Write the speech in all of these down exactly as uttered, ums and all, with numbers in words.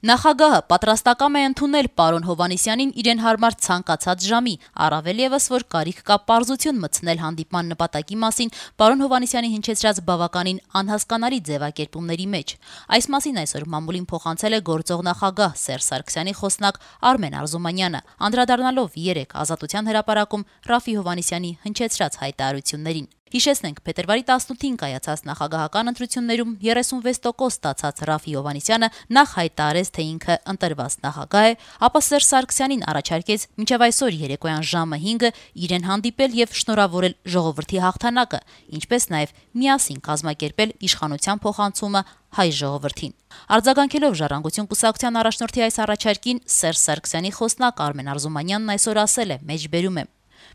Նախագահը պատրաստակամ է ընդունել պարոն Հովհաննիսյանին իրեն հարմար ցանկացած ժամի, առավել ևս, որ կարիք կա պարզություն մտցնել հանդիպման նպատակի մասին պարոն Հովհաննիսյանի հնչեցրած բավականին անհասկանալի ձևակերպումների մեջ։ Այս մասին այսօր մամուլին փոխանցել է գործող նախագահ Սերժ Սարգսյանի խոսնակ Արմեն Արզումանյանը, անդրադառնալով երեկ Ազատության հրապարակում Ռաֆֆի Հովհաննիսյանի հնչեցրած հայտարարություններին։ Հիշեցնենք, փետրվարի տասնութին կայացած նախագահական ընտրություններում երեսունվեց տոկոս ստացած Ռաֆֆի Հովհաննիսյանը նախ հայտարարեց, թե ինքը ընտրված նախագահ է, ապա Սերժ Սարգսյանին առաջարկեց մինչև այսօր երեկոյան ժամը հինգը իրեն հանդիպել եւ շնորհավորել ժողովրդի հաղթանակը, ինչպես նաեւ միասին կազմակերպել իշխանության փոխանցումը հայ ժողովրդին։ Արձագանքելով Ժառանգություն կուսակցության առաջնորդի այս առաջարկին, Սերժ Սարգսյանի խոսնակ Արմեն Արզումանյանն այսօր ասել է. մեջբերում եմ.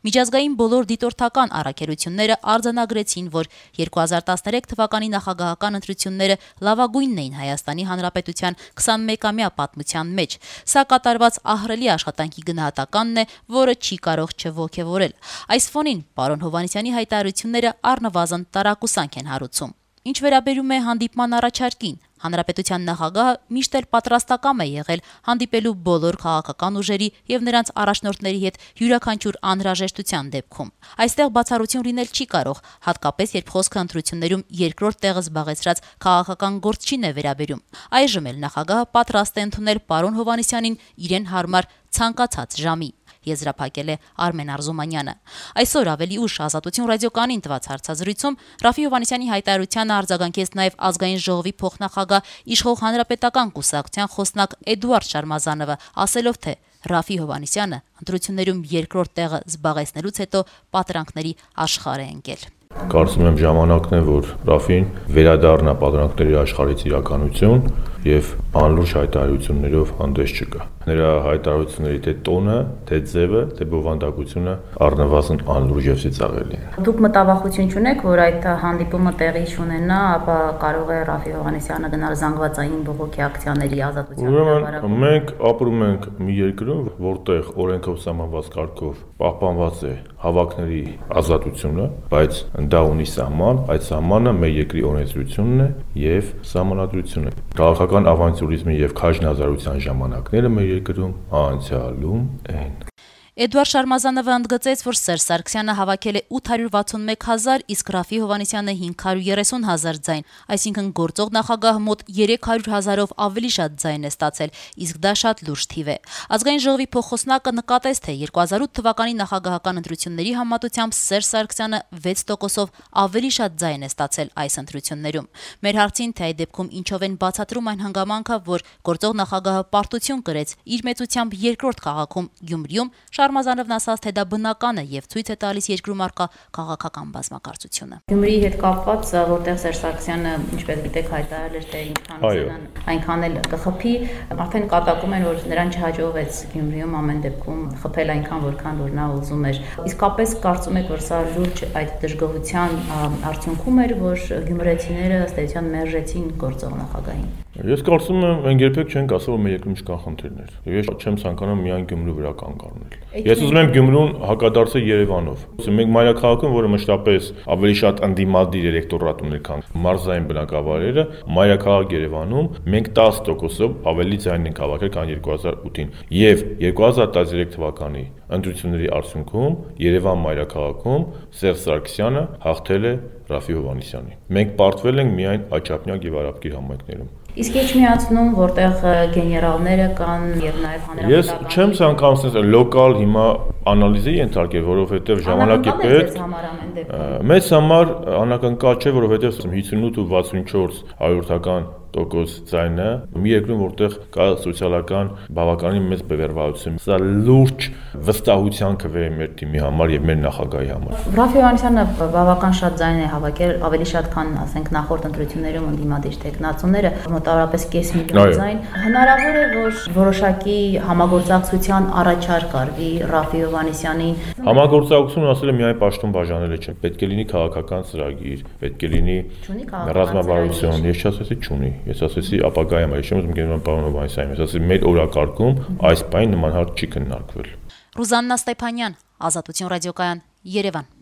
Միջազգային բոլոր դիտորդական առաքելությունները արձանագրեցին, որ երկու հազար տասներեք թվականի նախագահական ընտրությունները լավագույնն էին Հայաստանի Հանրապետության քսանմեկամյա պատմության մեջ։ Սա կատարված ահռելի աշխատանքի գնահատականն է, որը չի կարող չոգևորել։ Այս ֆոնին պարոն Հովհաննիսյանի հայտարարությունները առնվազն տարակուսանք են հարուցում։ Ինչ վերաբերում է հանդիպման առաջարկին, Հանրապետության նախագահը միշտ էլ պատրաստակամ է եղել հանդիպելու բոլոր քաղաքական ուժերի եւ նրանց առաջնորդների հետ յուրաքանչյուր անհրաժեշտության դեպքում։ Այստեղ բացառություն լինել չի կարող, հատկապես երբ խոսքը ընտրություններում երկրորդ տեղը զբաղեցրած քաղաքական գործչին է վերաբերում։ Այժմ էլ նախագահը պատրաստ է ընդունել պարոն Հովհաննիսյանին իրեն հարմար ցանկացած ժամի, եզրափակել է Արմեն Արզումանյանը։ Այսօր ավելի ուշ Ազատություն ռադիոկայանին տված հարցազրույցում Ռաֆֆի Հովհաննիսյանի հայտարարությանը արձագանքեց նաև Ազգային ժողովի փոխնախագահ Իշխող Հանրապետական կուսակցության խոսնակ Էդուարդ Շարմազանովը, ասելով, թե Ռաֆֆի Հովհաննիսյանը ընտրություններում երկրորդ տեղը զբաղեցնելուց հետո պատրանքների աշխարհ է ընկել։ Կարծում եմ ժամանակն է, որ Ռաֆֆին վերադառնա պատրանքների աշխարհից իրականություն եւ անլուրջ հայտարարություններով հանդես չգա։ Նրա հայտարարությունների թե տոնը, թե ձևը, թե բովանդակությունը առնվազն անլուրջ եւ ծիծաղելի են։ Դուք մտավախություն չունեք, որ այդ հանդիպումը տեղի չունենա, ապա կարող է Ռաֆֆի Հովհաննիսյանը գնալ զանգվածային բողոքի ակցիաների ազատության հրապարակում։ Մենք ապրում ենք մի երկրում, որտեղ օրենքով սահմանված կարգով պահպանված է հավաքների ազատությունը, բայց դա ունի սահման, այդ սահմանը մեր երկրի օրենսդրությունն է եւ սահմանադրությունը։ Քաղաքական ավանտյուրիզմի եւ քաջնազարության ժամանակները մեր երկրում անցյալում են։ Էդուարդ Շարմազանովը ընդգծեց, որ Սերժ Սարգսյանը հավաքել է ութ հարյուր վաթսունմեկ հազար, իսկ Ռաֆֆի Հովհաննիսյանը հինգ հարյուր երեսուն հազար ձայն, այսինքն գործող նախագահը մոտ երեք հարյուր հազարով ավելի շատ ձայն է ստացել, իսկ դա շատ լուրջ թիվ է։ Ազգային ժողովի փոխխոսնակը նկատեց, թե երկու հազար ութ թվականի նախագահական ընտրությունների համեմատությամբ Սերժ Սարգսյանը վեց տոկոսով ավելի շատ ձայն է ստացել այս ընտրություններում։ Մեր հարցին, թե այդ դեպքում ինչով են բացատրում այն հանգամանքը, որ գործող նախագահը պարտություն կրեց իր մեծությամբ երկրորդ քաղաքում Գյումրիում, Շարմազանովն ասաց, թե դա բնական է եւ ցույց է տալիս երկրում առկա քաղաքական բազմակարծությունը։ Գյումրիի հետ կապված, որտեղ Սերժ Սարգսյանը, ինչպես գիտեք, հայտարարել էր, թե ինքան այնքան էլ կխփի, արդեն կատակում են, որ նրան չհաջողվեց Գյումրիում ամեն դեպքում խփել այնքան, որքան որ նա ուզում էր։ Իսկապես կարծում եք, որ սա լուրջ այդ դժգոհության արդյունքում էր, որ գյումրեցիները ըստ էության մերժեցին գործող նախագահին։ Ես կարծում եմ, մենք երբեք չենք ասել, որ մեր երկրում չկան խնդիրներ։ Եվ ես չեմ ցանկանում միայն Գյումրու վրա կանգ առնել։ Ես ուզում եմ Գյումրուն հակադարձել Երևանով։ Մենք մայրաքաղաքում, որը մշտապես ավելի շատ ընդդիմադիր էլեկտորատ ուներ, քան մարզային բնակավայրերը, մայրաքաղաք Երևանում մենք տասը տոկոսով ավելի ձայն ենք հավաքել, քան երկու հազար ութին։ Եվ երկու հազար տասներեք թվականի ընտրությունների արդյունքում Երևան մայրաքաղաքում Սերժ Սարգսյանը հաղթել է Ռաֆֆի Հովհաննիսյանին։ Մենք պարտվել ենք միայն Աչափնյակ եւ Արաբկիր համայնքներում։ Իսկ ինչ միացնում, որտեղ գեներալները կան եւ նաեւ հանրապետական։ Ես չեմ ցանկանում ասել լոկալ հիմա անալիզի ենթարկել, որովհետեւ ժամանակի պետք մեծ համար անակնկալ չէ, որովհետեւ հիսունութ ու վաթսունչորս հարյուրական տոկոս ձայնը մի երկրում, որտեղ կա սոցիալական բավականին մեծ բևեռվածություն։ Սա լուրջ վստահության քվե է մեր թիմի համար եւ մեր նախագահի համար։ Ռաֆֆի Հովհաննիսյանը բավական շատ ձայն է հավաքել, ավելի շատ, քան ասենք նախորդ ընտրություններում ընդդիմադիր տեխնացուները, մոտավորապես կես միլիոն ձայն։ Հնարավոր է, որ որոշակի համագործակցության առաջարկ արվի Ռաֆֆի Հովհաննիսյանին։ Համագործակցությունը ասել է միայն պաշտոն բաժանելը չէ, պետք է լինի քաղաքական ծրագիր, պետք է լինի ռազմավարություն, ես չասեցի չունի։ Ես ասեցի ապագայում, ես չեմ ուզում գերման պարոն Հովհաննիսյանին, ես ասեցի մեր օրակարգում այս բանը նման հարց չի քննարկվել։ Ռուզաննա Ստեփանյան, Ազատություն ռադիոկայան, Երևան։